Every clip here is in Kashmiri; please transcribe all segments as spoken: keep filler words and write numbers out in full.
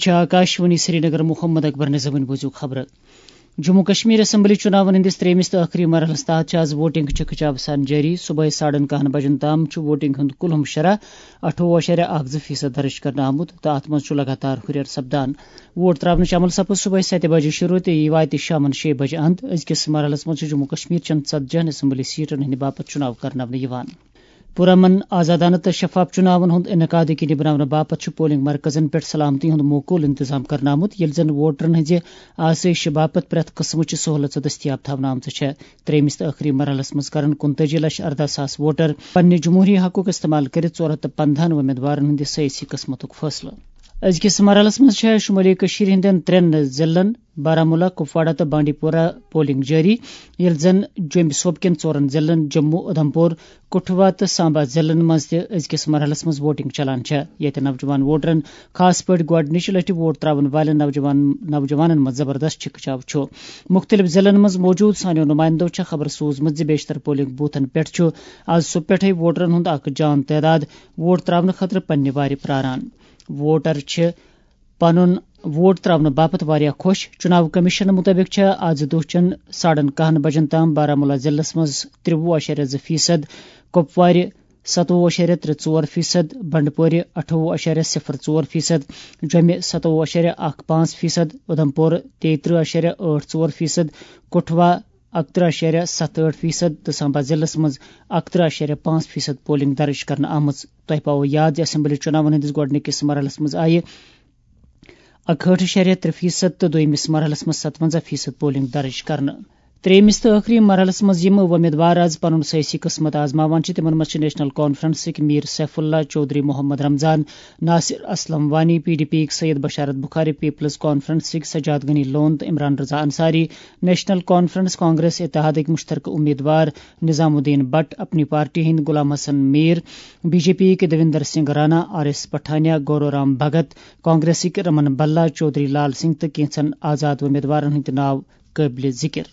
چھِ آکاشوانی سرینگر۔ محمد اکبر نظامٕنۍ بوٗزِو خبرٕ۔ جموں کشمیر اسمبلی چُناون ہٕنٛدِس ترٛیٚیمِس تہٕ ٲخری مرحلس تحت چھِ آز ووٹنگ چِکہٕ چاوسان جٲری۔ صبحٲے ساڑن کاہن بجن تام چھُ ووٹنگ ہُنٛد کُلہُم شرح اَٹھووُہ اَشاریہ اَکھ زٕ فیصد درٕج کرنہٕ آمُت تہٕ اتھ منٛز چھُ لگاتار ہُرٮ۪ر سپدان۔ ووٹ تراونٕچ عمل سپٕز صبحٲے ستہِ بجہِ شروع تہٕ یہِ واتہِ شامن شیٚیہِ بجہِ اند۔ أزکِس مرحلس منٛز چھُ جموں کشمیر چٮ۪ن ژتجی ہن اسمبلی سیٹن ہٕنٛدِ باپتھ چُناو کرناونہٕ یِوان۔ پُرامن، آزادانہٕ تہٕ شفاف چُناون ہُنٛد انعقاد یقینی بناونہٕ باپتھ چھُ پولنگ مرکزن پٮ۪ٹھ سلامتی ہُنٛد موقول انتظام کرنہٕ آمُت، ییٚلہِ زن ووٹرن ہٕنٛزِ آسٲیشہِ باپتھ پرٛٮ۪تھ قٕسمٕچہِ سہولژ دٔستیاب تھاونہٕ آمژٕ چھےٚ۔ ترٛیٚیمِس تہٕ ٲخری مرحلس منٛز کرن کُنتٲجی لچھ ارداہ ساس ووٹر پننہِ جمہوری حقُک استعمال کٔرِتھ ژور ہتھ تہٕ پندہن وۄمیدوارن ہٕنٛدِ سیٲسی قٕسمتُک فٲصلہٕ۔ أزکِس مرحلس منٛز چھےٚ شمٲلی کٔشیٖرِ ہٕنٛدٮ۪ن ترٛٮ۪ن ضلعن بارہمولہ، کپواڑہ تہٕ بانڈی پورہ پولنگ جٲری، ییٚلہِ زن جوٚمہِ صوبہٕ کٮ۪ن ژورن ضلعن جموں، اُدھمپور، کٹھوا تہٕ سامبا ضلعن منٛز تہِ أزکِس مرحلس منٛز ووٹنگ چلان چھےٚ، ییٚتہِ نوجوان ووٹرن خاص پٲٹھۍ گۄڈٕنِچہِ لٹہِ ووٹ تراون والٮ۪ن نوجوان، نوجوانن منٛز زبردست چھِکہٕ چاو چھُ۔ مُختٔلِف ضلعن منٛز موجود سانیو نُمایندو چھےٚ خبر سوٗزمٕژ زِ بیشتر پولنگ بوتھن پٮ۪ٹھ چھُ آز صبح پٮ۪ٹھے ووٹرن ہُنٛد اکھ جان تعداد ووٹ تراونہٕ خٲطرٕ پننہِ وارِ پراران۔ ووٹر چھِ پنُن ووٹ تراونہٕ باپتھ واریاہ خۄش۔ چُناو کمیشن مُطٲبِق چھےٚ آز دۄہ چٮ۪ن ساڑن کاہن بجن تام بارہمولہ ضلعس منٛز ترٛوُہ اَشاریہ زٕ فیصد، کۄپوارِ ستووُہ اَشاریہ ترٛےٚ ژور فیصد، بنڈپورِ اَٹھووُہ اَشاریہ صفر ژور فیصد، جوٚمہِ ستووُہ اَشاریہ اکھ پانٛژھ فیصد، اُدھمپور تیٚیہِ ترٕٛہ اَشاریہ ٲٹھ ژور فیصد، کٹھوا اَکترٕٛہ اَشاریہ ستھ ٲٹھ فیصد تہٕ سامبا ضلعس منٛز اَکترٕٛہ اَشاریہ پانٛژھ فیصد پولنگ درٕج کرنہٕ آمٕژ۔ تۄہہِ پاوو یاد زِ اسمبلی چُناون ہٕنٛدِس گۄڈٕنِکِس مرحلس منٛز آیہِ اکہٲٹھ اَشاریہ ترٛےٚ فیصد تہٕ دوٚیمِس مرحلس منٛز ستونزہ فیصد پولنگ درٕج کرنہٕ۔ ترٛیٚیمِس تہٕ ٲخری مرحلس منٛز یِم وۄمیدوار آز پنُن سیٲسی قٕسمت آزماوان چھِ، تِمن منٛز چھِ national کانفرنسٕکۍ Mir Saifullah Choudhary Mohammad Ramzan, Nasir Aslam Wani, P D P یٕکۍ سید بشارت بخاری، پیپلز کانفرنسٕکۍ سجاد غنی لون تہٕ Imran Raza Ansari, National Conference Congress اتحادٕکۍ مشترکہٕ امیدوار نظام الدین بٹ، اپنی پارٹی ہٕنٛدۍ Ghulam Hassan Mir, B J P یٕکۍ دویندر سنگھ رانا، آر ایس پٹھانیا، گورو رام بھگت، کانگریسٕکۍ رمن بلا، چودھری لال سنگھ تہٕ کینٛژن آزاد امیدوارن ہٕنٛدۍ ناو قٲبلِ ذِکِر۔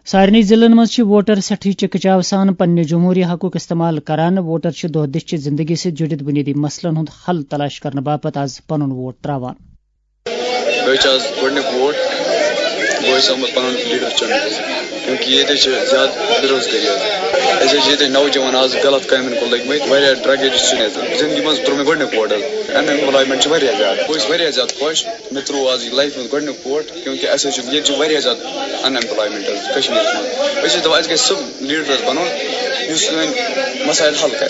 سارنٕے ضلعن منٛز چھِ ووٹر سٮ۪ٹھٕے چِکہٕ چاو سان پننہِ جمہوٗری حقُک استعمال کران۔ ووٹر چھِ دۄہ دِش چہِ زندگی سۭتۍ جُڑِتھ بُنیٲدی مسلن ہُنٛد حل تلاش کرنہٕ باپتھ آز پنُن ووٹ تراوان۔ مےٚ چھُ آز گۄڈٕنیُک ووٹ، بہٕ چھُس آمُت پنُن لیڈر چُننہٕ، کیونکہ ییٚتہِ چھِ زیادٕ بے روزگٲری حظ۔ اَسہِ حظ چھِ ییٚتہِ نوجوان آز غلط کامٮ۪ن کُن لٔگۍ مٕتۍ، واریاہ ڈرگ ایڈکٹ چھِ ییٚتہِ۔ زندگی منٛز تروو مےٚ گۄڈٕنیُک ووٹ حظ۔ ان ایمپلایمنٹ چھِ واریاہ زیادٕ، بہٕ چھُس واریاہ زیادٕ خۄش۔ مےٚ ترٛوو آز یہِ لایفہِ منٛز گۄڈٕنیُک ووٹ، کیونکہ اَسہِ حظ چھِ، ییٚتہِ چھِ واریاہ زیادٕ ان ایمپلایمنٹ حظ کشمیٖرَس منٛز۔ أسۍ چھِ دَپان، اَسہِ گژھِ سُہ لیٖڈر حظ بَنُن، یُس سٲنۍ مسایل حل کَرِ۔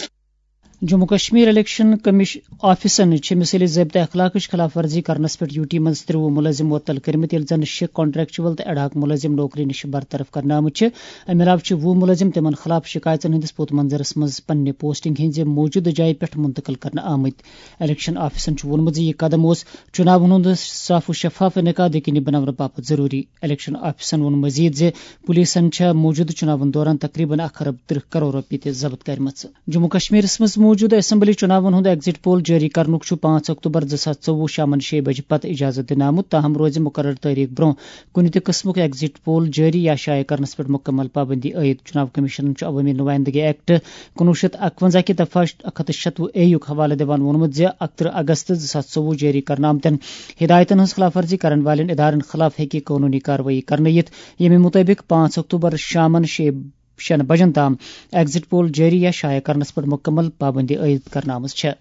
جموں کشمیر الیکشن کمیش-، آفیسن چھِ مثٲلی ضٲبطہٕ اخلاقٕچ خلاف ورزی کرنس پٮ۪ٹھ یوٗ ٹی منٛز ترٛوُہ مُلٲزِم معطل کٔرمٕتۍ، ییٚلہِ زَن شےٚ کانٹریکچوَل تہٕ ایڈہاک مُلٲزِم نوکری نِش برطرف کرنہٕ آمٕتۍ چھِ۔ اَمہِ علاوٕ چھِ وُہ مُلٲزِم تِمَن خلاف شِکایژَن ہٕنٛدِس پوٚت منظرَس منٛز پننہِ پوسٹنگ ہٕنٛزِ موٗجوٗدٕ جایہِ پٮ۪ٹھ منتقل کرنہٕ آمٕتۍ۔ الیکشن آفیسن چھُ ووٚنمُت زِ یہِ قدم اوس چُناون ہُنٛد صاف و شفاف انعقاد یقینی بناونہٕ باپتھ ضروٗری۔ الیکشن آفیسن ووٚن مزید زِ پولیسن چھےٚ موٗجوٗدٕ چُناون دوران تقریباً اکھ ارب ترٕٛہ کرور رۄپیہِ تہِ ضبط کرِمژٕ۔ جموں کشمیرس منٛز موٗجوٗدٕ اسمبلی چُناون ہُنٛد ایگزٹ پول جٲری کرنُک چھُ پانٛژھ اکتوبر زٕ ساس ژوٚوُہ شامن شیٚیہِ بجہِ پتہٕ اجازت دِنہٕ آمُت، تاہم روزِ مقرر تٲریخ برونٛہہ کُنہِ تہِ قٕسمُک ایگزٹ پول جٲری یا شایع کرنس پٮ۪ٹھ مکمل پابندی عائد۔ چُناو کمیشنن چھُ عوٲمی نُمایندگی ایکٹ کُنوُہ شیٚتھ اکوَنزاہ کہِ دفعہ اکھ ہتھ تہٕ شتوُہ اے یُک حوالہٕ دِوان ووٚنمُت زِ اکترٕہ اگست زٕ ساس ژوٚوُہ جٲری کرنہٕ آمتٮ۪ن ہدایتن ہٕنٛز خلاف ورزی کرن والٮ۪ن ادارن خلاف ہیٚکہِ قونوٗنی کاروٲیی کرنہٕ یِتھ، ییٚمہِ مُطٲبِق پانٛژھ اکتوبر شامن شیٚیہِ شٮ۪ن بجن تام ایگزٹ پول جٲری یا شایع کرنس پٮ۪ٹھ مکمل پابندی عائد کرنہٕ آمٕژ چھےٚ۔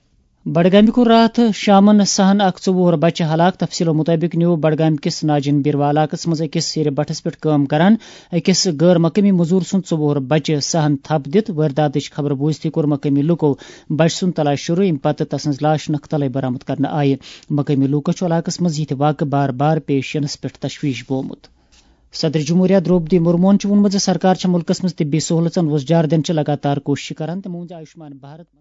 بڈگامہِ کوٚر راتھ شامن سہن اکھ ژوٚوُہ وُہُر بچہٕ ہلاک۔ تفصیلو مُطٲبِق نیوٗ بڈگامہِ کِس ناجن بیروا علاقس منٛز أکِس سیرِ بٹھس پٮ۪ٹھ کٲم کران أکِس غٲر مقٲمی مٔزوٗر سُنٛد ژوٚوُہ وُہُر بچہٕ سہن تھپھ دِتھ۔ وٲرۍداتٕچ خبر بوٗزتھٕے کوٚر مقٲمی لوٗکو بچہٕ سُنٛد تلاش شروٗع، ییٚمہِ پتہٕ تسٕنٛز لاش نکھٕ تلے برآمد کرنہٕ آیہِ۔ مقٲمی لوٗکو چھُ علاقس منٛز یِتھۍ واقعہٕ بار بار پیش یِنس پٮ۪ٹھ تشویش بومُت۔ صدر جمہوریہ درٛوپدی مرموہن چھُ ووٚنمُت زِ سرکار چھےٚ مُلکس منٛز طبی سہوٗلژن وۄزجار دِنٕچ لگاتار کوٗشش کران۔ تٔمۍ ووٚن زِ آیوشمان بھارت